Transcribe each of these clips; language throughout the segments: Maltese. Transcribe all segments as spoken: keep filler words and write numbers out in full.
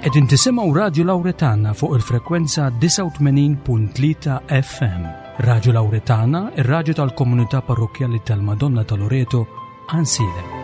Qegħdin tisimgħu Radju Lawretana fuq il-frekwenza disgħa u tmenin punt tlieta F M. Radju Lawretana, ir-radju tal-Komunità Parrokkjali tal-Madonna ta' Loreto, Għajnsielem.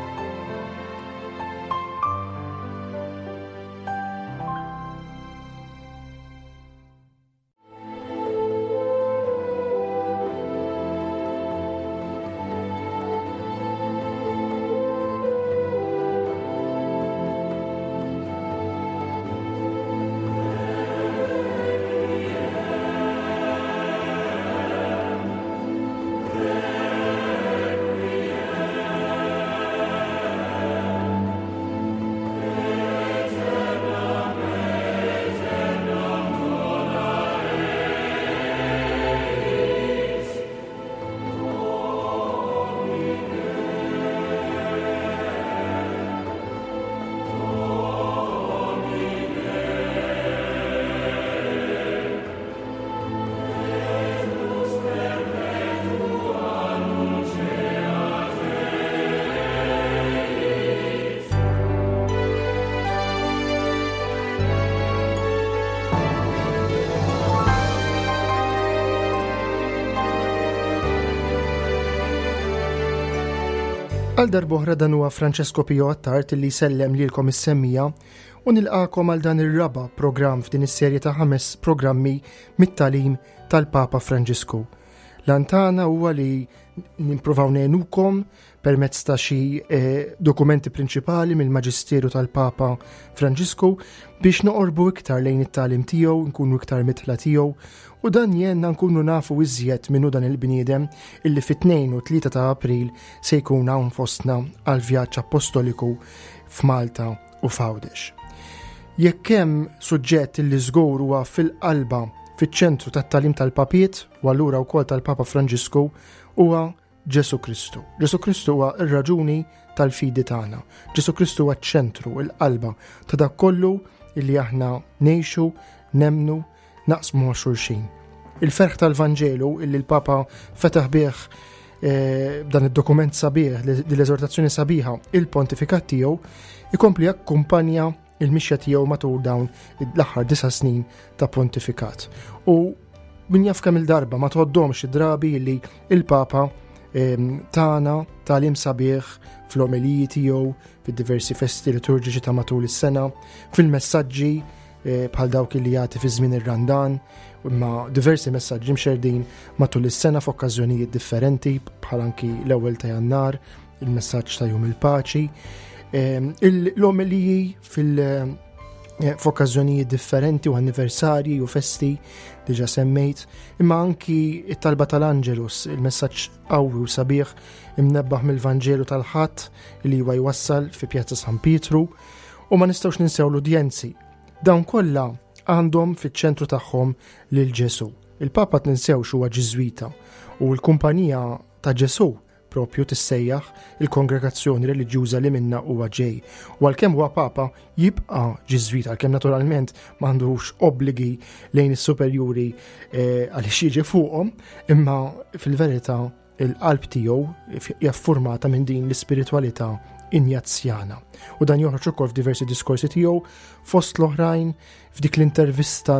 Għal darb'oħra dan huwa Francesco Pio Attard li jsellem lilkom is-semmiegħa u nilqagħkom għal dan ir-raba' programm f'din is-serje ta' ħames programmi mit-tagħlim tal-Papa Franġisku. L-għan tagħna huwa li nippruvaw ngħinukom permezz ta' xi eh, dokumenti prinċipali mill-Maġisteru tal-Papa Franġisku biex noqorbu iktar lejn it-tagħlim tiegħu, nkunu iktar midħla tiegħu u dan jgħinna nkunu nafu iżjed min hu dan il-bniedem illi fit-tnejn u tlieta ta' April se jkun hawn fostna għal vjaġġ apostoliku f'Malta u f'Għawdex. Jekk hemm suġġett illi żgur huwa fil-qalba, fiċ-ċentru tat-tagħlim tal-papiet u allura wkoll tal-Papa Franġisku, huwa Ġesu Kristu. Ġesu Kristu huwa ir-raġuni tal-fidi tagħna. Ġesu Kristu huwa ċ-ċentru, il-qalba ta' dak kollu illi aħna ngħixu, nemmnu, naqsmu ma' xulxin. Il-ferħ tal-Vanġelu illi l-Papa fetaħ bih eh, dan id-dokument sabiħ, l-eżortazzjoni sabiħa, il-pontifikat tiegħu, ikompli jakkumpanja il-mixja tiegħu matul dawn l-aħħar disa' snin ta' pontifikat. U min jaf kemm il-darba, ma tgħoddhomx id-drabi li il-Papa tana tagħlim sabiħ fl-omeliji tiegħu, fid-diversi festi liturġiċi ta' matul is-sena, fil-messaġġi eh, bħal dawk li jagħti fi żmien ir-Randan, imma diversi messaġġi mxerdin matul is-sena f'okkażjonijiet differenti, bħal anki l-ewwel ta' Jannar, il-messaġġ ta' Jum il-Paċi, l-omeliji fil- eh, f'okkażjonijiet differenti u anniversarji u festi diġa semmejt, imma anki it-talba tal-Angelus, il-messaġġ qawwi u sabiħ imnebbaħ mill-Vanġelu tal-Ħadd li huwa jwassal fi Pjazza San Pietru, u ma nistgħux ninsew l-udjenzi. Dawn kollha għandhom fiċ-ċentru tagħhom lil Ġesu. Il-Papa, tinsewx, huwa Ġiżwita u l-Kumpanija ta' Ġesu propju tissejjaħ il-kongregazzjoni reliġjuża li minna huwa ġej. U għalkemm huwa Papa, jibqa' Ġiżwita, għalkemm naturalment m'għandux obbligi lejn is-superjuri eh, għaliex jiġi fuqhom, imma fil-verità il-qalb tiegħu hija formata minn din l-ispiritwalità Injazzjana. U dan joħroġ ukoll f'diversi diskorsi tiegħu, fost l-oħrajn f'dik l-intervista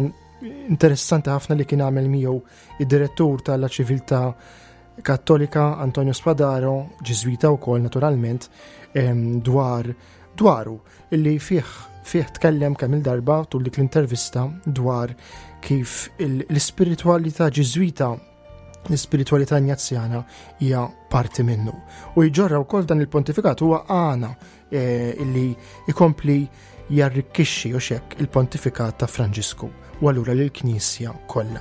interessanti ħafna li kien għamel miegħu id-direttur tal Civiltà Kattolika Antonio Spadaro, Ġiżwita wkoll naturalment, dwar dwaru illi fih fih tkellem kemm il-darba tul dik l-intervista dwar kif l-ispiritwalità Ġiżwita, l-ispiritualità Injazzjana hija parti minnu. U jġorra wkoll dan il-pontifikat, huwa għana eh, illi ikompli jarrikkixxi u xek il-pontifikat ta' Franġisku u allura lill-Knisja kollha.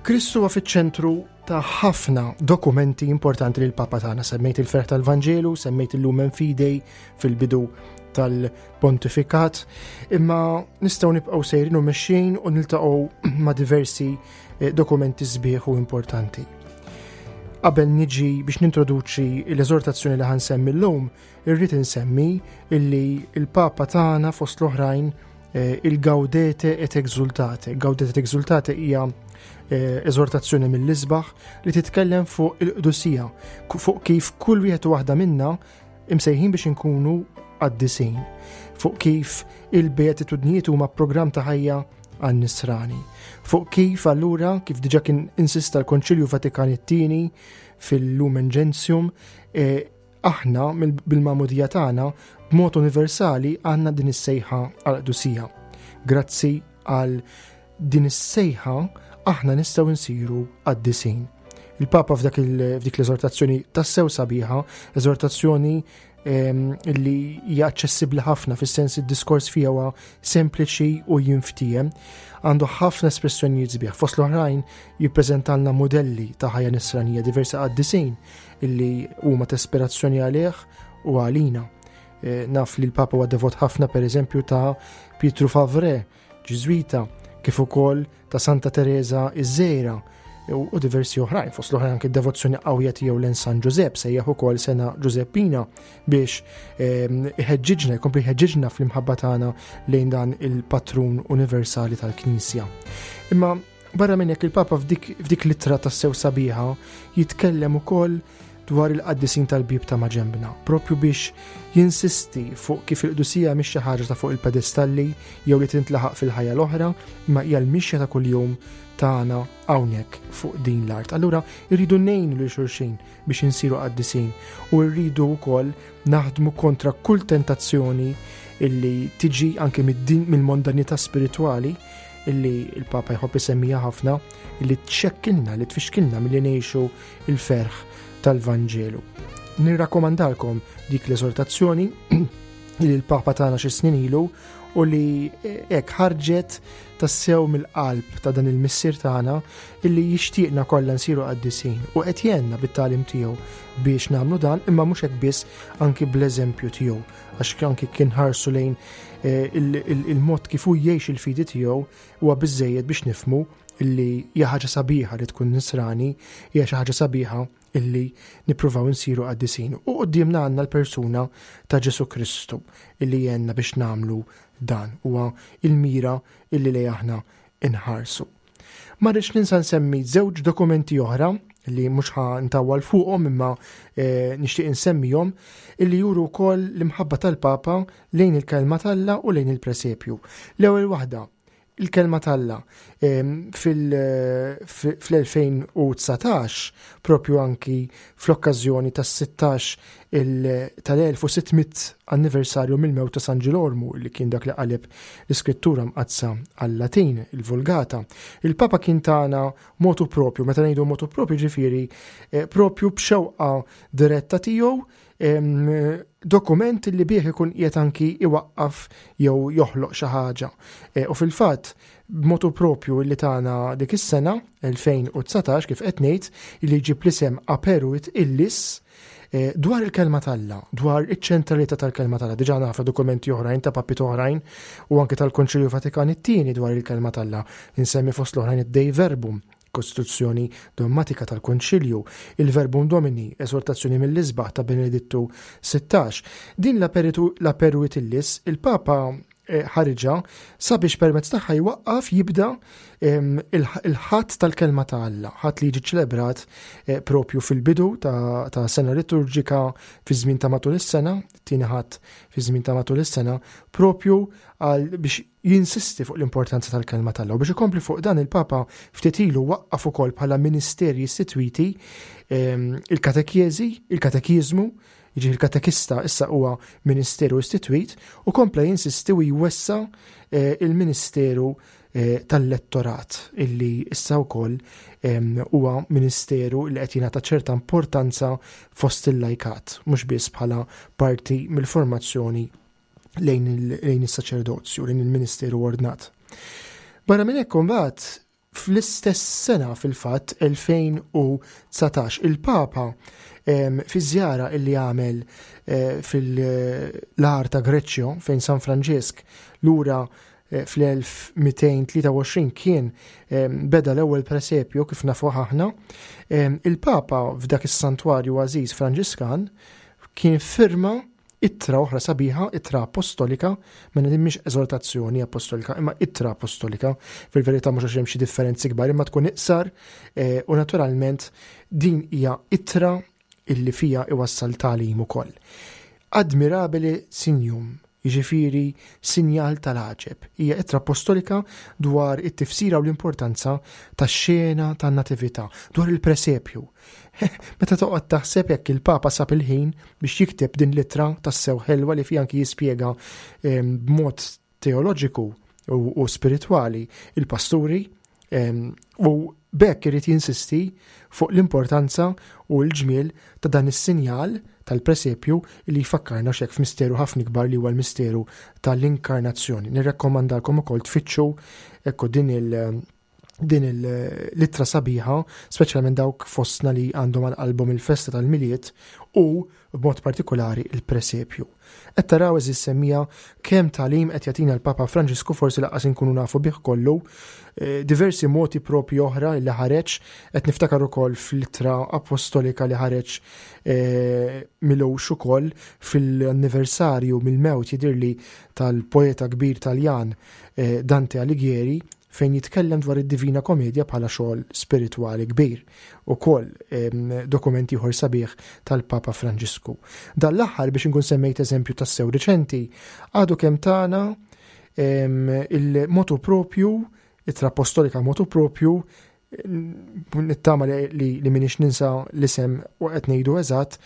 Kristu huwa fiċ-ċentru ta' ħafna dokumenti importanti li l-Papa tagħna. Semmejt il-ferħ tal-Vanġelu, semmejt il-Lumen Fidei fil-bidu tal-pontifikat, imma nistgħu nibqgħu sejrin u mexxin u niltaqgħu ma' diversi eh, dokumenti sbieħ u importanti. Qabel niġi biex nintroduċi l-eżortazzjoni li ħa nsemmi llum, irrid insemmi illi il-Papa tagħna, fost l-oħrajn, eh, il-Gaudete et Exsultate. Gaudete et Exsultate hija eh, eżortazzjoni mill-isbaħ li titkellem fuq il-qdusija, fuq kif kull wieħed u waħda minna imsejħin biex inkunu qaddisin, fuq kif il-beatitudnijiet huma programm ta' ħajja għan-nisrani, fuq kif allura, kif diġà kien insista l-Konċilju Vatikan it-tieni fil-Lumen Gentium, eh, aħna bil-magħmudija tagħna b'mod universali għandna din is-sejħa għall-qdusija. Grazzi għal din is-sejħa aħna nistgħu nsiru qaddisin. Il-Papa f'dak f'dik l-eżortazzjoni tassew sabiħa, eżortazzjoni li hija aċċessibbli ħafna fis-sens id-diskors fiha huwa sempliċi u jinftiehem, għandu ħafna espressjonijiet sbieħ. Fost l-oħrajn jippreżentalna modelli ta' ħajja nisranija, diversi qaddisin illi huma ta' ispirazzjoni għalih u għalina. E, naf li l-Papa huwa devot ħafna pereżempju ta' Pietru Favre, Ġiżwita, kif ukoll ta' Santa Teresa iż-Żgħira u diversi oħrajn, fost l-oħrajn anke devozzjoni qawwija tiegħu lejn San Ġużepp, sejjaħ ukoll sena Ġużeppina biex ehm, iħeġġiġna, jkompli jħeġġiġna fl-imħabba tagħna lejn dan il-patrun universali tal-Knisja. Imma barra minn hekk il-Papa f'dik, f'dik l-ittra tassew sabiħa jitkellem ukoll dwar il-qaddisin tal-bieb ta' maġenbna, propju biex jinsisti fuq kif il-qdusija mhix xi ħaġa ta' fuq il-pedestalli jew li tintlaħaq fil-ħajja l-oħra, imma hija l-mixja ta' kuljum tagħna hawnhekk fuq din l-art. Allura rridu ngħinu lil xulxin biex insiru qaddisin u rridu wkoll naħdmu kontra kull tentazzjoni illi tiġi anke mill-mondanità spiritwali illi il-Papa jħobb isemmija ħafna, illi txekkilna, li tfixkilna milli ngħixu il-ferħ tal-Vanġelu. Nirrakkomandalkom dik l-eżortazzjoni li l-Papa tagħna xi snin ilu u li hekk ħarġet tassew mill-qalb ta' dan il-missier tagħna illi jixtieqna kollha nsiru qaddisin u qed jgħinna bit-tagħlim tiegħu biex nagħmlu dan, imma mhux hekk biss, anki bl-eżempju tiegħu, għax anki kien ħarsu lejn eh, il-mod kif hu jgħix il-fidi tiegħu huwa biżejjed biex nifhmu illi hija ħaġa sabiħa li tkun nisrani, hija xi ħaġa sabiħa illi nippruvaw nsiru qaddisin. U quddiemna għandna l-persuna ta' Ġesu Kristu illi jgħinna biex nagħmlu dan, huwa il-mira illi lejn aħna inħarsu. Ma rridx ninsa nsemmi żewġ dokumenti oħra li mhux ħa ntawwal fuqhom imma eh, nixtieq insemmihom, illi juru wkoll l-imħabba tal-Papa lejn il-kelma t'Alla u lejn il-presepju. L-ewwel waħda, il-kelma t'Alla, fil-elfejn u dsatax, propju anki fl-okkażjoni tas-sittax tal-elf u sitt mitt anniversarju mill-mewt ta' San Ġilormu, li kien dak li qaleb l-iskrittura mqaddsa għal-Latin, il-Vulgata. Il-Papa kien tana motu propju, meta ngħidu motu propju ġifieri, eh, propju b'xewqa diretta tiegħu, em, dokument li bih ikun qiegħed anki iwaqqaf jew joħloq xi ħaġa. E, u fil-fatt, b'motu propju li tana dik is-sena elfejn u dsatax, kif qed ngħid, li jġib l-isem Aperuit Illis, e, dwar il-kelma t'Alla, dwar iċ-ċentralità tal-kelma t'Alla. Diġà nafu dokumenti oħrajn ta' papit oħrajn u anke tal-Konċilju Vatikan it-tieni dwar il-kelma t'Alla. Insemmi fost l-oħrajn id-Dei Verbum, Kostituzzjoni Dogmatika tal-Konċilju, il-Verbum Domini, esortazzjoni mill-isbaħ ta' Benedittu sittax. Din l-Aperuit Illis, il-Papa, eh, ħariġa sabiex permezz tagħha jwaqqaf jibda, em, il-ħadd tal-kelma ta' Alla, ħadd li jiġi ċelebrat, eh, propju fil-bidu ta', ta' sena liturġika fi żmien ta' matul is-sena, tieni ħadd fi żmien ta' matul is-sena, propju għal biex jinsisti fuq l-importanza tal-kelma t'Alla. U biex ikompli fuq dan, il-Papa ftit ilu waqqaf ukoll bħala ministeri istituiti, em, il-katekjeżi, il-katekiżmu, jiġifieri il-katekista issa huwa ministeru istituit, u kompla jinsisti u jwessa, eh, il-ministeru, eh, tal-lettorat, illi issa wkoll, em, huwa ministeru li qed jingħata ċerta importanza fost il-lajkat, mhux biss bħala parti mill-formazzjoni lejn il-, lejn is-saċerdozju, lejn il-ministeru ordnat. Barra minn hekk imbagħad, fl-istess sena fil-fatt elfejn u dsatax, il-Papa, em, fi żjara illi għamel, eh, fil-għar ta' Greċċjo fejn San Franġisk lura, eh, fl-elf mitejn tlieta u għoxrin kien, em, beda l-ewwel presepju kif nafu aħna, em, il-Papa f'dak is-santwarju għażiż Franġiskan kien firma ittra oħra sabiħa, ittra apostolika, mela din mhix eżortazzjoni apostolika, imma ittra apostolika, fil-verità mhux għax hemm xi differenzi kbar, imma tkun iqsar, eh, u naturalment din hija ittra illi fija iwassal tagħlim ukoll. Admirabile Signum, jiġifieri sinjal tal-għaġeb. Hija ittra apostolika dwar it-tifsira u l-importanza tax-xena tan-natività, dwar il-presepju. Meta toqgħod taħseb jekk il-Papa sab il-ħin biex jikteb din l-ittra tassew ħelwa li fiha anki jispjega ehm, b'mod teoloġiku u spiritwali il-pasturi ehm, u b'hekk irid jinsisti fuq l-importanza u l-ġmiel ta' dan is-sinjal tal-presepju li jfakkarna xek f'misteru ħafna kbar li huwa l-misteru tal-inkarnazzjoni. Nirrakkomandalkom ukoll tfittxu ekku din il- din l-ittra sabiħa, speċjalment dawk fostna li għandhom għal qalbhom il-festa tal-Milied u b'mod partikolari il-presepju. Qed taraw, għeżież semmiegħa, kemm tagħlim qed jagħtina l-Papa Franġisku, forsi lanqas inkunu nafu bih kollu, eh, diversi moti propri oħra li ħareġ, qed niftakar ukoll fl-ittra apostolika li ħareġ eh, m'ilux ukoll fil-anniversarju mill-mewt, jidirli, tal-poeta kbir Taljan eh, Dante Alighieri, fejn jitkellem dwar id-Divina Komedja bħala xogħol spiritwali kbir. Ukoll dokumenti ieħor sabiħ tal-Papa Franġisku. Dan l-aħħar, biex inkun semmejt eżempju tassew riċenti, għadu kemm tana il-motu propju, ittra apostolika motu propju, nittama li, li, li m'iniex ninsa l-isem u qed ngħidu eżatt,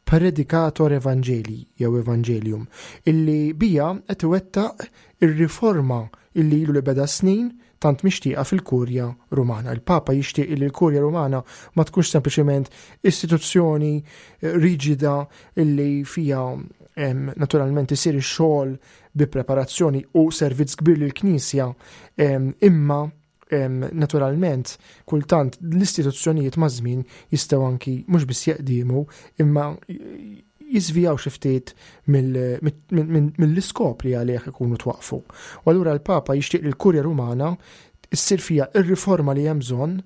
Predicator Evangelii jew Evangelium, illi bija qed iwettaq ir-riforma illi ilu li beda snin tant mixtieqa fil-Kurja Rumana. Il-Papa jixtieq li l-Kurja Rumana ma tkunx sempliċement istituzzjoni eh, riġida illi fija naturalment isir ix-xogħol bi preparazzjoni u servizz kbir lill-Knisja, imma naturalment kultant l-istituzzjonijiet ma' żmien jistgħu anki mhux biss jeqdimu imma jiżvijaw xi ftit mill-iskop li għalih ikunu twaqfu. U allura l-Papa jixtieq li l-Kurja Rumana issir fija ir-riforma li hemm bżonn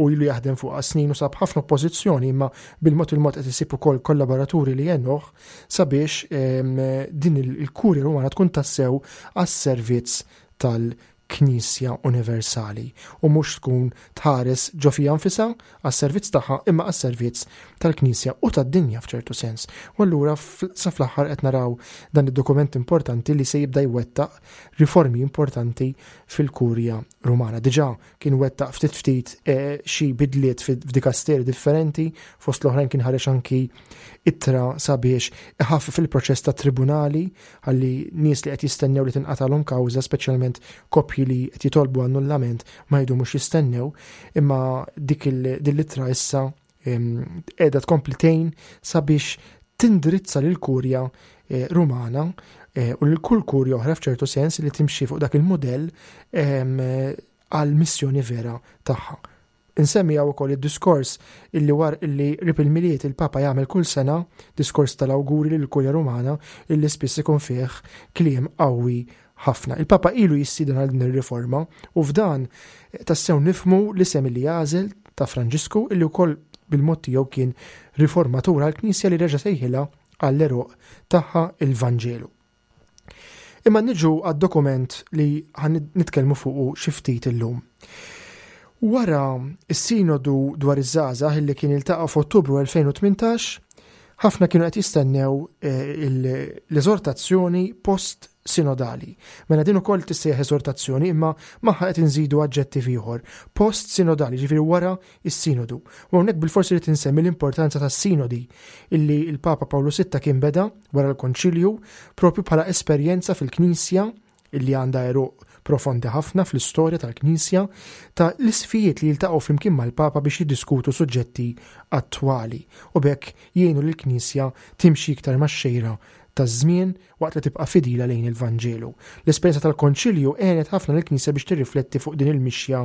u ilu jaħdem fuq snin u sab ħafna oppożizzjoni, imma bil-mod il-mod qed isib ukoll kollaboraturi li jgħinuh sabiex din il-Kurja Rumana tkun tassew għas-servizz tal-Knisja Universali u mhux tkun tħares ġo fija nfisha għas-servizz tagħha, imma għas-servizz tal-Knisja u tad-dinja f'ċertu sens. U allura sa fl-aħħar qed naraw dan id-dokument importanti li se jibda jwettaq riformi importanti fil-Kurja Rumana. Diġà kien wettaq ftit ftit eh, xi bidliet f'dikasteri differenti, fost l-oħrajn kien ħareġ anki ittra sabiex iħaffef il-proċess ta' tribunali għalli nies li qed jistennew li tinqatalhom kawża, speċjalment koppji li qed jitolbu annullament, ma jdumux jistennew, imma dik l-ittra issa qiegħda tkompli tgħin sabiex tindirizza lil kurja eh, Rumana eh, u lil kull kurja oħra f'ċertu sens li timxi fuq dak il-modell għal missjoni vera tagħha. Insemmi hawn ukoll id-diskors illi war illi qrib il-Milied il-Papa jagħmel kull sena, diskors tal-awguri lil kurja Rumana, illi spiss ikun fih kliem qawwi ħafna. Il-Papa ilu jistieden għal din ir-riforma u f'dan tassew nifhmu l-isem li għażel ta' Franġisku, illi wkoll bil-mod tiegħu kien riformatur għall-Knisja li reġa' sejħilha għall-għeruq tagħha, il-Vanġelu. Imma niġu għad-dokument li ħa nitkellmu fuqu xi ftit illum. Wara is-sinodu dwar iż-żgħażagħ illi kien iltaqa' f'Ottubru elfejn u tmintax, ħafna kienu qed jistennew eh, l-eżortazzjoni post sinodali. Mela din ukoll tissejjaħ eżortazzjoni, imma magħha qed inżidu aġġettiv ieħor, post sinodali, ġifieri wara is-sinodu. U hawnhekk bil-forsi li tinsemmi l-importanza tas-sinodi illi il-Papa Pawlu Sitta kien beda wara l-Konċilju propju bħala esperjenza fil-Knisja illi għandha għeruq profondi ħafna fl-istorja tal-Knisja, ta' l-isqfijiet li jiltaqgħu flimkien mal-Papa biex jiddiskutu suġġetti attwali u b'hekk jgħinu lill-Knisja timxi iktar max-xejra taż-żmien waqt li tibqa' fidila lejn il-Vanġelu. L-esperjenza tal-Konċilju għenet ħafna lill-Knisja biex tirrifletti fuq din il-mixja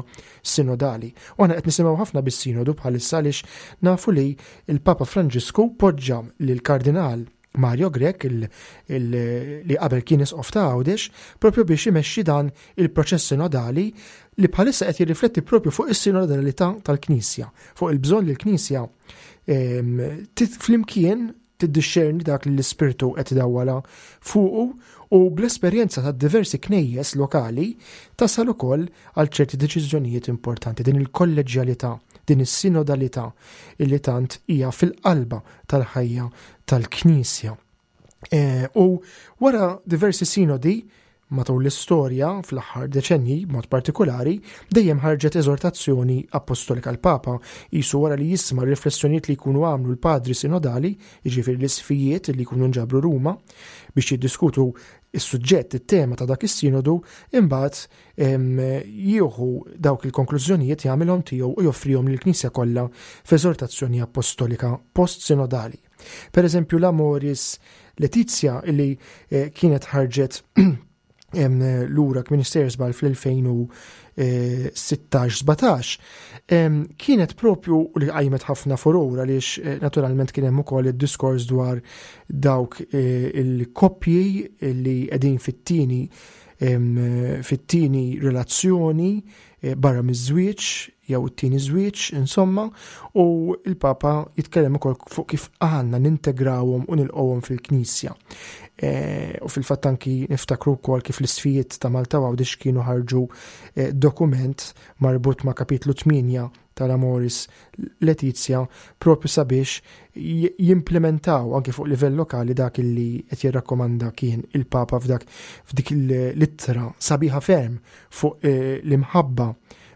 sinodali. U aħna qed nisimgħu ħafna bis-sinodu bħalissa għaliex nafu li il-Papa Franġisku poġġa lill-Kardinal Mario Grech, li qabel kien isqof ta' Għawdex, propju biex imexxi dan il-proċess sinodali li bħalissa qed jirrifletti propju fuq is-sinodalità tal-Knisja, fuq il-bżonn li l-Knisja flimkien tiddixxerni dak li l-ispirtu qed idawwala fuqu u bl-esperjenza ta' diversi knejjes lokali tasal ukoll għal ċerti deċiżjonijiet importanti. Din il-kolleġjalità, din is-sinodalità illi tant hija fil-qalba tal-ħajja tal-Knisja. Eh, u wara diversi sinodi matul l-istorja fl-aħħar deċenji mod partikolari dejjem ħarġet eżortazzjoni apostolika. L-Papa jisu wara li jisma' riflessjonijiet li jkunu għamlu l-padri sinodali, jiġifieri l-isqfijiet li jkunu nġabru Ruma biex jiddiskutu is-suġġett, it-tema ta' dak is-sinodu, imbagħad jieħu dawk il-konklużjonijiet, jagħmilhom tiegħu u joffrihom lill-Knisja kollha f'eżortazzjoni apostolika post-sinodali. Per eżempju, l-Amoris Laetitia illi eh, kienet ħarġet lura Minister żball fl-elfejn u sittax sbatax, kienet propju li qajmet ħafna furor għaliex eh, naturalment kien hemm ukoll id-diskors dwar dawk eh, il-koppji li qegħdin fit-tieni fit-tieni relazzjoni eh, barra miż-żwieġ jew it-tieni żwieġ, insomma, u il-Papa jitkellem ukoll fuq kif għandna nintegrawhom u nilqgħuhom fil-Knisja. E, u fil-fatt anki niftakru wkoll kif l-isqfijiet ta' Malta Għawdex kienu ħarġu e, dokument marbut ma' kapitlu tmienja tal-Amoris Laetitia propju sabiex jimplementaw anki fuq livell lokali dak li qed jirrakkomanda kien il-Papa f'dak f'dik l-ittra sabiħa ferm fuq eh, l-imħabba,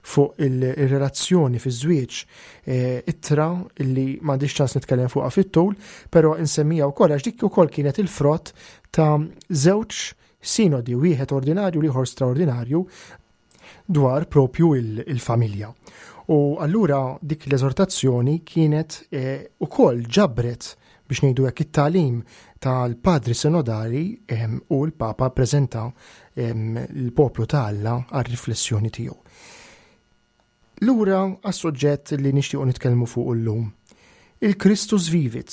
fuq il-relazzjoni fi żwieġ, eh, ittra illi m'għandix ċans nitkellem fuqha fit-tul, però insemmija wkoll għax dik ukoll kienet il-frott ta' żewġ sinodi, wieħed ordinarju u ieħor straordinarju, dwar propju il-familja. U allura dik l-eżortazzjoni kienet eh, ukoll ġabret, biex ngħidu hekk, it-tagħlim tal-padri sinodali u l-Papa preżenta l-poplu ta' Alla għal-riflessjoni tiegħu. Lura għas-suġġett li nixtiequ nitkellmu fuq illum. Il-Christus Vivit.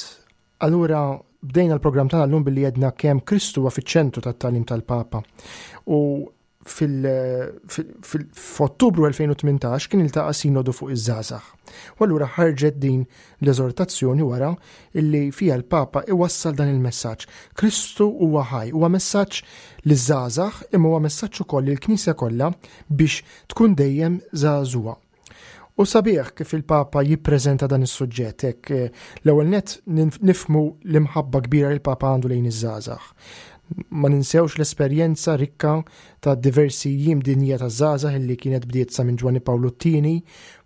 Allura bdejna l-programm tagħna llum billi għedna kemm Kristu huwa fiċ-ċentru tat-tagħlim tal-Papa. U fil-Ottubru elfejn u tmintax kien iltaqa' sinodu fuq iż-żgħażagħ. U allura ħarġet din l-eżortazzjoni wara illi fija l-Papa iwassal dan il-messaġġ. Kristu huwa ħaj, huwa messaġġ liż-żgħażagħ imma huwa messaġġ ukoll lill-Knisja kollha biex tkun dejjem żagħżugħa. U sabiħ kif il-Papa jippreżenta dan is-suġġett, hekk eh, l-ewwel net nifhmu l-imħabba kbira li l-Papa għandu lejn iż-żgħażagħ. Ma ninsewx l-esperjenza rikka ta' diversi jiem dinja ta' żgħażagħ illi kienet bdiet sa minn Ġwanni Pawlu t-Tieni,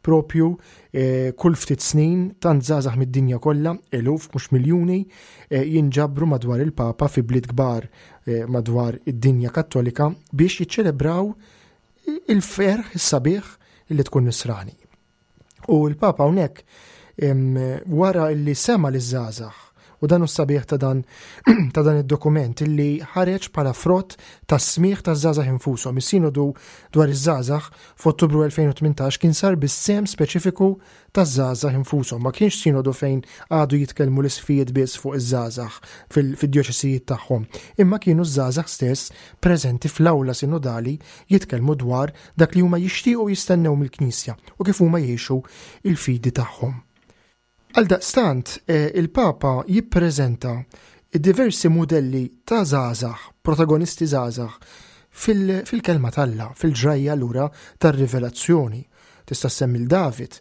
propju eh, kull ftit snin tant żgħażagħ mid-dinja kollha, eluf mhux miljuni, eh, jinġabru madwar il-Papa fi bliet kbar madwar id-dinja Kattolika biex jiċċelebraw il-ferħ is-sabiħ illi tkun nisrani. U l-Papa hawnhekk wara illi sema liż-żgħażagħ, u dan sabiħ ta' dan ta' dan id-dokument illi ħareġ bħala frott ta' smigħ ta' żgħażagħ infushom. Is-sinodu dwar iż-żgħażagħ f'Ottubru elfejn u tmintax kien sar bis-sehem speċifiku ta' żgħażagħ infushom. Ma kienx sinodu fejn għadu jitkellmu l-isqfijiet biss fuq iż-żgħażagħ fil-djoċesijiet tagħhom, imma kienu ż-żgħażagħ stess preżenti fl-awla sinodali jitkellmu dwar dak li huma jixtiequ jistennew mill-Knisja u kif huma jgħixu il-fidi tagħhom. Għaldaqstant, eh, il-Papa jippreżenta diversi modelli ta' żgħażagħ, protagonisti żgħażagħ, fil-kelma t'Alla, fil-ġrajja lura tar-rivelazzjoni. Tista' semmi l-David,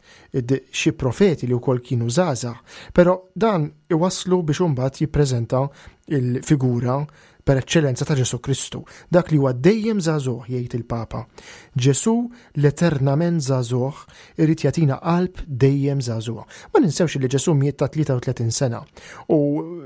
xi profeti li wkoll kienu żgħażagħ, però dan iwaslu biex imbagħad jippreżenta il-figura per eċċellenza ta' Ġesu Kristu, dak li huwa dejjem żagħżugħ, jgħid il-Papa. Ġesu l-eternament żagħżugħ irid jagħtina qalb dejjem żagħżugħa. Ma ninsewx li Ġesu miet ta' tlieta u tletin sena u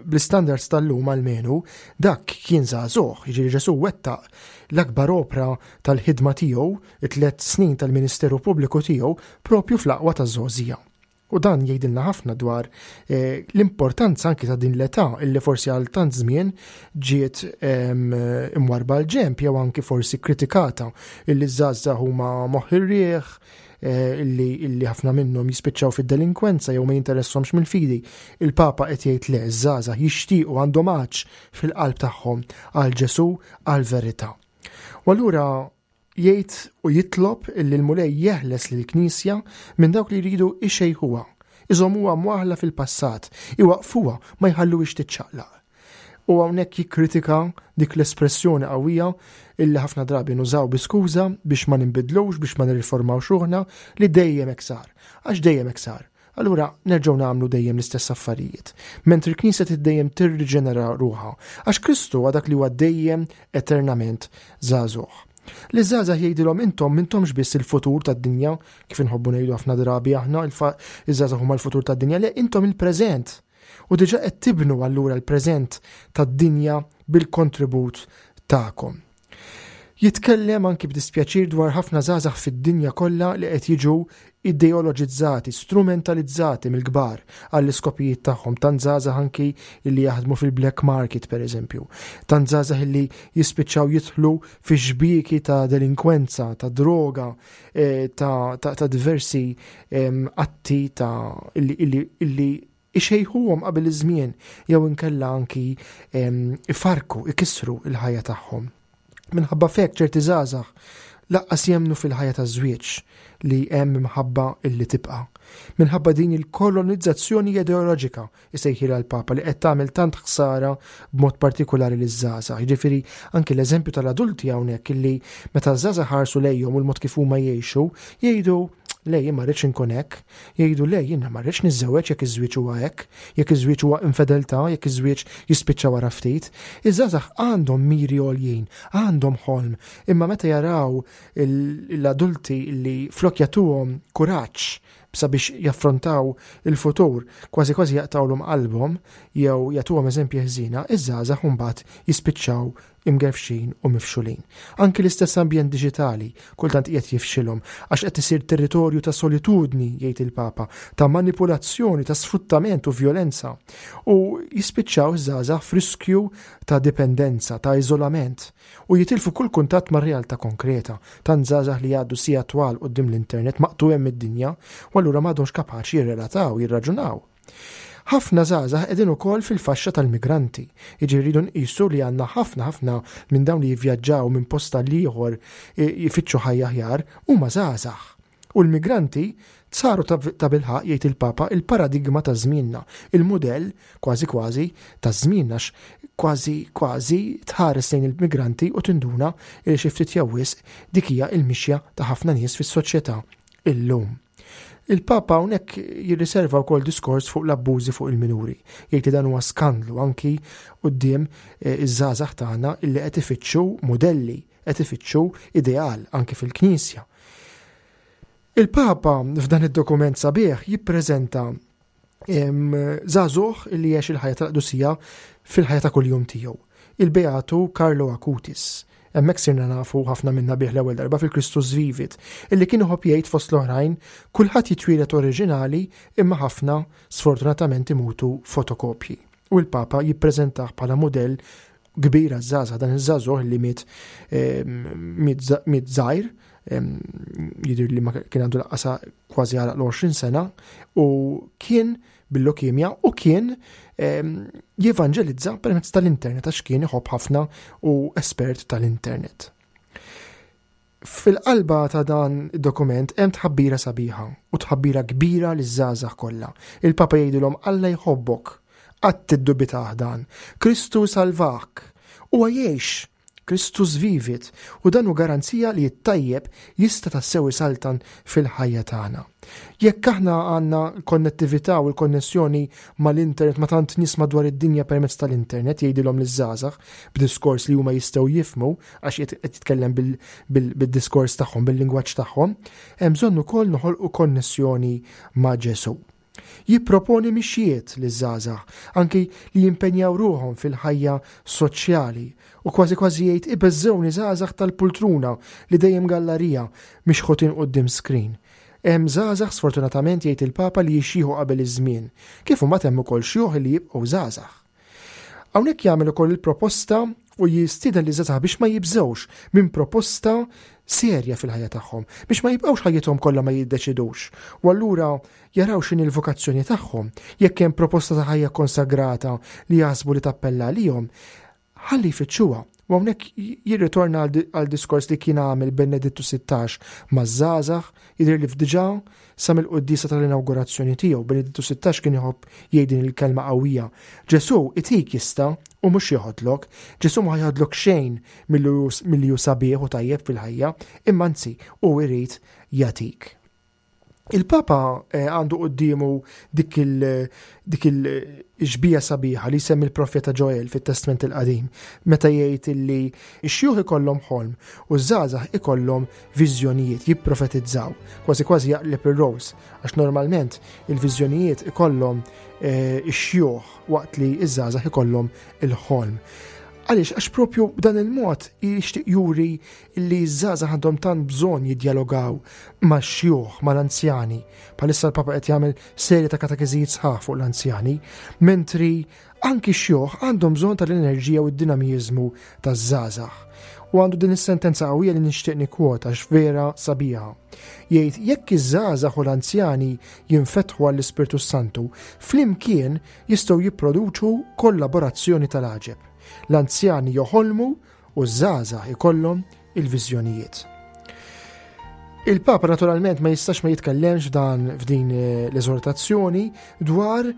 bl-standards tal-lum almenu dak kien żagħżugħ, jiġifieri Ġesu wettaq l-akbar opra tal-ħidma tiegħu, it-tliet snin tal-Ministeru Pubbliku tiegħu, propju fl-aqwa taż-żgħożija. U dan jgħidilna ħafna dwar eh, l-importanza anki ta' din l-età illi forsi għal tant żmien ġiet imwarba l-ġemp jew anki forsi kritikata illi żgħażagħ huma moħħ ir-riħ, eh, illi, illi ħafna minnhom jispiċċaw fid-delinkwenza jew ma jinteressahomx mill-fidi. Il-Papa qed jgħid le, żgħażagħ jixtiequ, għandhom għatx fil-qalb tagħhom għal Ġesu, għal verità. U allura jgħid u jitlob illi l-Mulej jeħles lill-Knisja minn dawk li jridu ixejħuha, iżommuha mwaħla fil-passat, iwaqfuha, ma jħalluhiex tiċċaqlaq. U hawnhekk jikkritika dik l-espressjoni qawwija illi ħafna drabi nużaw bi skuża biex ma ninbidlux, biex ma nirriformawx ruħna, li dejjem hekk sar. Għax dejjem hekk sar. Allura nerġgħu nagħmlu dejjem l-istess affarijiet. Mentri l-Knisja dejjem tirriġenera ruħha, għax Kristu huwa dak li huwa dejjem eternament żagħżugħ. Li żgħażagħ jgħidilhom intom m'intomx biss il-futur tad-dinja, kif inħobbu ngħidu ħafna drabi aħna, iż-żgħażagħ huma l-futur tad-dinja, le, intom il-preżent. U diġà qed tibnu allura l-preżent tad-dinja bil-kontribut tagħkom. Jitkellem anki b'dispjaċir dwar ħafna żgħażagħ fid-dinja kollha li qed jiġu ideoloġizzati, strumentalizzati mill-kbar għall-iskopijiet tagħhom. Tant żgħażagħ anki li jaħdmu fil-black market, pereżempju. Tant żgħażagħ li jispiċċaw jidħlu fi xbieki ta' delinkwenza, ta' droga, eh, ta', ta, ta diversi atti ta' illi, illi ixejħuhom qabel iż-żmien jew inkella anki ifarku, ikissru il-ħajja tagħhom. Minħabba fek ċerti żgħażagħ lanqas jemmnu fil-ħajja taż-żwieġ li hemm imħabba illi tibqa'. Minħabba din il-kolonizzazzjoni ideoloġika, isejħilha l-Papa, li qed tagħmel tant ħsara b'mod partikolari liż-żgħażagħ. Jiġifieri anki l-eżempju tal-adulti hawnhekk, illi meta ż-żgħażagħ ħarsu lejhom u l-mod kif huma jgħixu, jgħidu: "Le, jien ma rridx inkun hekk." Jgħidu: "Le, jien ma rridx niżżewweġ jekk iż-żwieġ huwa hekk, jekk iż-żwieġ huwa infedeltà, jekk iż-żwieġ jispiċċa wara ftit." Iż-żgħażagħ għandhom miri għoljin, għandhom ħolm, imma meta jaraw l-adulti li flok jagħtuhom kuraġġ sabiex jaffrontaw il-futur, kważi kważi jaqtawlhom qalbhom jew jagħtuhom eżempji ħżiena, iż-żgħażagħ mbagħad jispiċċaw imgerfxin u mifxulin. Anki l-istess ambjent diġitali kultant qiegħed jifxilhom, għax qed isir territorju ta' solitudni, jgħid il-Papa, ta' manipulazzjoni, ta' sfruttament u vjolenza. U jispiċċaw żgħażagħ f'riskju ta' dipendenza, ta' iżolament u jitilfu kull kuntatt mar-realtà konkreta. Tant żgħażagħ li jgħaddu sigħat twal quddiem l-internet, maqtugħin mid-dinja, u allura m'għadhomx kapaċi jirrelataw, jirraġunaw. Ħafna żgħażagħ qegħdin ukoll fil-faxxa tal-migranti. Jiġifieri rridu nqisu li għandna ħafna ħafna minn dawn li jivvjaġġaw minn post għal ieħor jfittxu ħajja aħjar huma żgħażagħ. U l-migranti saru ta' bilħaqq, jgħid il-Papa, il-paradigma ta' żmienna, il-mudell kważi kważi ta' żmienna, kważi kważi tħares lejn il-migranti u tinduna li xi ftit jew wisq dik hija l-mixja ta' ħafna nies fis-soċjetà illum. Il-Papa hawnhekk jirriserva wkoll diskors fuq l-abbużi fuq il-minuri. Jgħid li dan huwa skandlu anki quddiem eh, iż-żgħażagħ tagħna illi qed ifittxu modelli, qed ifittxu ideal anki fil-Knisja. Il-Papa f'dan id-dokument sabiħ jippreżenta żagħżugħ illi jgħix il-ħajja tal-qdusija fil-ħajja ta' kuljum tiegħu. Il-Beatu Carlo Acutis. Hemmhekk sirna nafu ħafna minna bih l-ewwel darba fil-Christus Vivit, illi kien iħobb jgħid fost l-oħrajn: "Kulħadd jitwieled oriġinali, imma ħafna sfortunatament imutu fotokopji." U l-Papa jippreżentah bħala modell kbir għaż-żgħażagħ, dan iż-żagħżugħ li miet miet żgħir, jidher li ma kien għandu lanqas kważi għal l-għoxrin sena, u kien bil-leukemia u kien jevanġelizza permezz tal-internet għax kien iħobb ħafna u espert tal-internet. Fil-qalba ta' dan id-dokument hemm tħabbira sabiħa u tħabbira kbira liż-żgħażagħ kollha. Il-Papa jgħidilhom: Alla jħobbok, qatt tiddubitah dan. Kristu salvak, huwa jgħix, Christus vivit, u dan hu garanzija li t-tajjeb jista' tassew isaltan fil-ħajja tagħna. Jekk aħna għandna konnettività u l-konnessjoni mal-internet, ma' tant nies madwar id-dinja permezz tal-internet, jgħidilhom liż-żgħażagħ b'diskors li huma jistgħu jifhmu għax qed jitkellem bil-diskors tagħhom, bil-lingwaġġ tagħhom, hemm bżonn ukoll noħolqu konnessjoni ma' Ġesù. Jipproponi mixjiet liż-żgħażagħ, anki li jimpenjaw ruħhom fil-ħajja soċjali, u kważi kważi jgħid: "Ibeżżewni żgħażagħ tal-pultruna li dejjem gallarija mixħutin quddiem screen." Hemm żgħażagħ sfortunatament, jgħid il-Papa, li jixjieħu qabel iż-żmien, kif huma hemm ukoll xjuħ li jibqgħu żgħażagħ. Hawnhekk jagħmel ukoll il-proposta u jistieden liż-żgħażagħ biex ma jibżgħux minn proposta serja fil-ħajja tagħhom, biex ma jibqgħux ħajjithom kollha ma jiddeċidux. U allura jaraw x'inhi l-vokazzjoni tagħhom, jekk hemm proposta ta' ħajja konsagrata li jaħsbu li tappella għalihom, ħalli jfittxuha. U hawnhekk jirritorna għal diskors li kien għamel Benedittu sittax maż-żgħażagħ, jidher li fdiġà sa mill-quddiesa tal-inaugurazzjoni tiegħu. Benedittu sittax kien iħobb jgħid din il-kelma qawwija: "Ġesù itik jista' u mhux joħodlok. Ġesù ma jħodlok xejn milli hu sabiħ u tajjeb fil-ħajja, imma anzi hu jrid jagħtik." Il-Papa eh, għandu quddiemu dik il- dik il-xbieha sabiħa li semmi l-profeta Joel fit-Testament il-Qadim, meta jgħid illi x-xjuħ ikollhom ħolm u ż-żgħażagħ ikollhom viżjonijiet, jipprofetizzaw, kważi kważi jaqleb ir-roles, għax normalment il-viżjonijiet ikollhom eh, ix-xjuħ waqt li ż-żgħażagħ ikollhom il-ħolm. Għaliex, għax propju b'dan il-mod jixtieq juri li ż-żgħażagħ għandhom tant bżonn jiddjalogaw max-xjuħ, mal-anzjani. Bħalissa l-Papa qed jagħmel serje ta' katekeżijiet sħaħ fuq l-anzjani, mentri anki x-xjuħ għandhom bżonn tal-enerġija u d-dinamiżmu taż-żgħażagħ. U għandu din is-sentenza qawwija li nixtieq nikkwota għax vera sabiħa. Jgħid jekk iż-żgħażagħ u l-anzjani jinfetħu għall-Ispirtu Santu, flimkien jistgħu jipproduċu kollaborazzjoni tal-għaġeb. L-anzjani joħolmu u ż-żgħażagħ ikollhom il-viżjonijiet. Il-Papa naturalment ma jistax ma jitkellemx f'dan f'din eh, l-eżortazzjoni dwar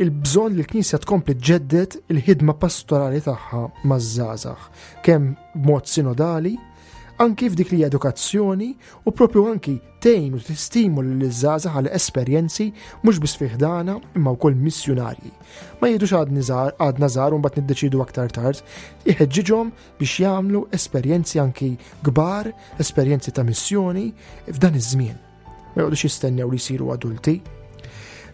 il-bżonn li l-Knisja tkompli ġġedded il-ħidma pastorali tagħha maż-żgħażagħ, kemm b'mod sinodali, anki f'dik li edukazzjoni u propju anki tgħin u tistimula liż-żgħażagħ għal esperjenzi mhux biss fi ħdana imma wkoll missjunarji. Ma jgħidux għadni żgħar, għadna żgħar u mbagħad niddeċidu aktar tard, iħeġġiġhom biex jagħmlu esperjenzi anki kbar, esperjenzi ta' missjoni f'dan iż-żmien. Ma jgħodux jistennew li jsiru adulti.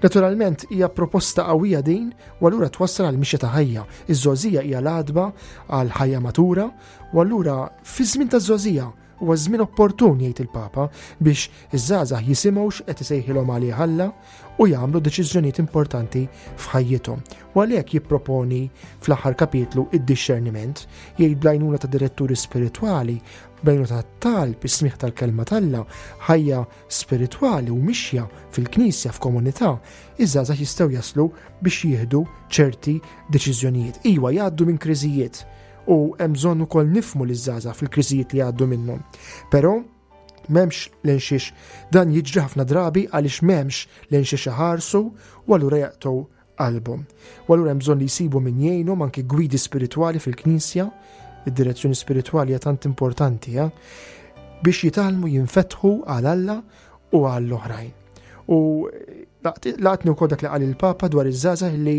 Naturalment hija proposta qawwija din u allura twassal għal mixja ta' ħajja. Iż-żgħożija hija l-għatba għal ħajja matura u allura fi żmien ta' żgħożija huwa żmien opportun jgħid il-Papa biex iż-żgħażagħ jisimgħu x'qed isejħilhom għalih Alla u jagħmlu deċiżjonijiet importanti f'ħajjithom. U għalhekk jipproponi fl-aħħar kapitlu id-dixxerniment, jgħid bl-għajnuna ta' diretturi spiritwali, bl-għajnuna ta' talb, is-smigħ tal-kelma t'Alla, ħajja spiritwali u mixja fil-knisja f'komunità, iż-żgħażagħ jistgħu jaslu biex jieħdu ċerti deċiżjonijiet. Iwa jgħaddu minn kriżijiet u hemm bżonn ukoll nifhmu liż-żgħażagħ fil-kriżijiet li jgħaddu minnhom. Però m'hemmx lejn xiex dan jiġri ħafna drabi għaliex m'hemmx lejn xiex iħarsu u allura jaqtgħu qalbhom. U allura hemm bżonn li jsibu min jgħinhom anki gwidi spiritwali fil-knisja, id-direzzjoni spiritwali hija tant importanti, eh? biex jitgħallmu jinfetħu għal Alla u għall oħrajn. U laqtni wkoll dak li qal il-Papa dwar iż-żgħażagħ li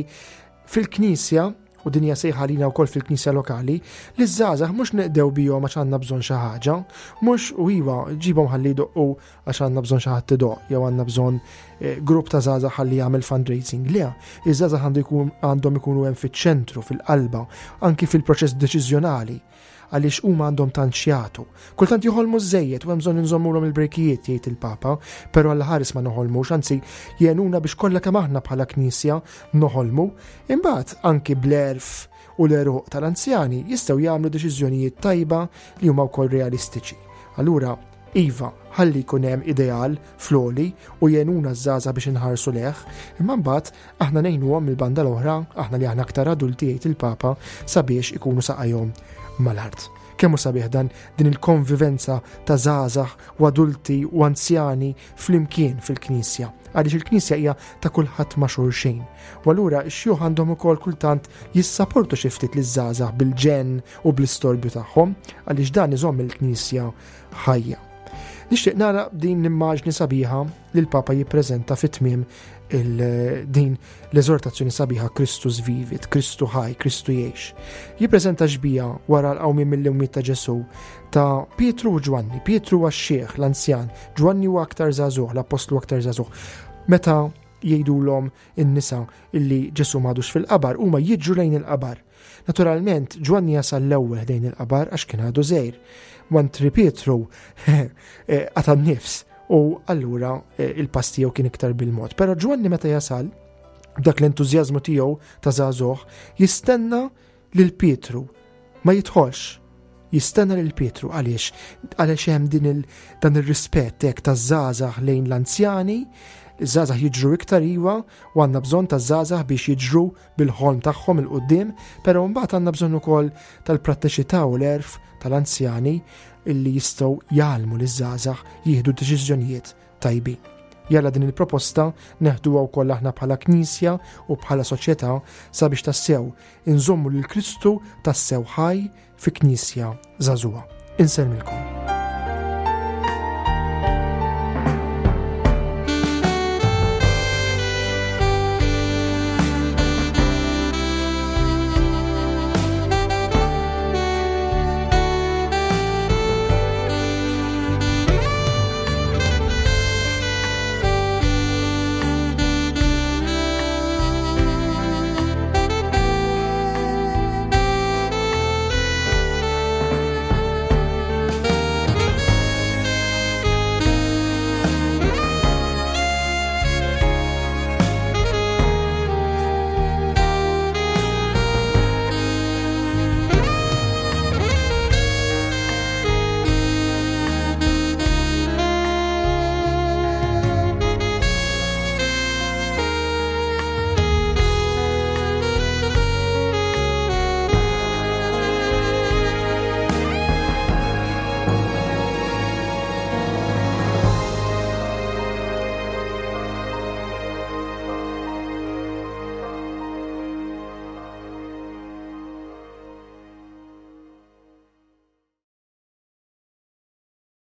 fil-knisja u din hija sejħa lina wkoll fil-knisja lokali, li ż-żgħażagħ mhux neqdew bihom għax għandna bżonn xi ħaġa, mhux u iva ġibhom ħalli jdoqqu għax għandna bżonn xi ħadd idoqq jew għandna bżonn eh, grupp ta' żgħażagħ ħalli jagħmel fundraising. Le, iż-żgħażagħ għandu jkun għandhom ikunu hemm fiċ-ċentru, fil-qalba, anki fil-proċess deċiżjonali għaliex huma għandhom tant x'jagħtu. Kultant joħolmu żejjed u hemm bżonn inżommulhom il-brejkijiet jgħid il-Papa, però Alla ħares ma noħolmux, anzi jgħinuna biex kollha kemm aħna bħala Knisja noħolmu. Imbagħad anki bl-għerf u l-għeruq tal-anzjani jistgħu jagħmlu deċiżjonijiet tajba li huma wkoll realistiċi. Allura, iva, ħalli jkun hemm ideal fl-għoli u jgħinuna ż-żgħażagħ biex inħarsu lejh, imma mbagħad aħna ngħinuhom mill-banda l-oħra, aħna li aħna aktar adulti jgħid il-Papa sabiex ikunu saqajhom mal-art. Kemm hu sabiħ dan din il-konvivenza ta' żgħażagħ u adulti u anzjani flimkien fil-Knisja. Għaliex il-Knisja hija ta' kulħadd ma' xulxin. U allura x-xjuħ għandhom ukoll kultant jissaportu xi ftit liż-żgħażagħ bil-ġenn u bl-istorbju tagħhom, għaliex dan iżomm il-Knisja ħajja. Nixtieq nara din l-immaġni sabiħa li l-Papa jippreżenta fit-tmiem din l-eżortazzjoni sabiħa Christus vivit, Kristu ħaj, Kristu jgħix. Jippreżenta xbieha wara l-qawmien mill-imwiet ta' Ġesù ta' Pietru u Ġwanni. Pietru huwa x-xiħ, l-anzjan, Ġwanni huwa aktar żagħżugħ, l-appostlu aktar żagħżugħ. Meta jgħidulhom in-nisa illi Ġesù m'għadux fil-qabar, huma jiġru lejn il-qabar. Naturalment, Ġwanni jasal l-ewwel lejn il-qabar għax kien għadu żgħir. Mentri Pietru qata' n-nifs u allura, eh, il-pass tiegħu kien iktar bil-mod. Però Ġwanni meta jasal, b'dak l-entużjażmu tiegħu ta' żagħżugħ, jistenna lil Pietru, ma jidħolx. Jistenna lil Pietru għaliex? Għaliex hemm din il-, dan ir-rispett hekk taż-żgħażagħ lejn l-anzjani, iż-żgħażagħ jiġru iktar iwa u għandna bżonn taż-żgħażagħ biex jiġru bil-ħolm tagħhom 'il quddiem, però mbagħad għandna bżonn ukoll tal-prattiċità u l-għerf tal-anzjani illi jistgħu jgħallmu liż-żgħażagħ jieħdu deċiżjonijiet tajbin. Jalla din il-proposta neħduha wkoll aħna bħala Knisja u bħala soċjetà sabiex tassew inżommu lil Kristu tassew ħaj fi Knisja żagħżugħa. Insellmilkom.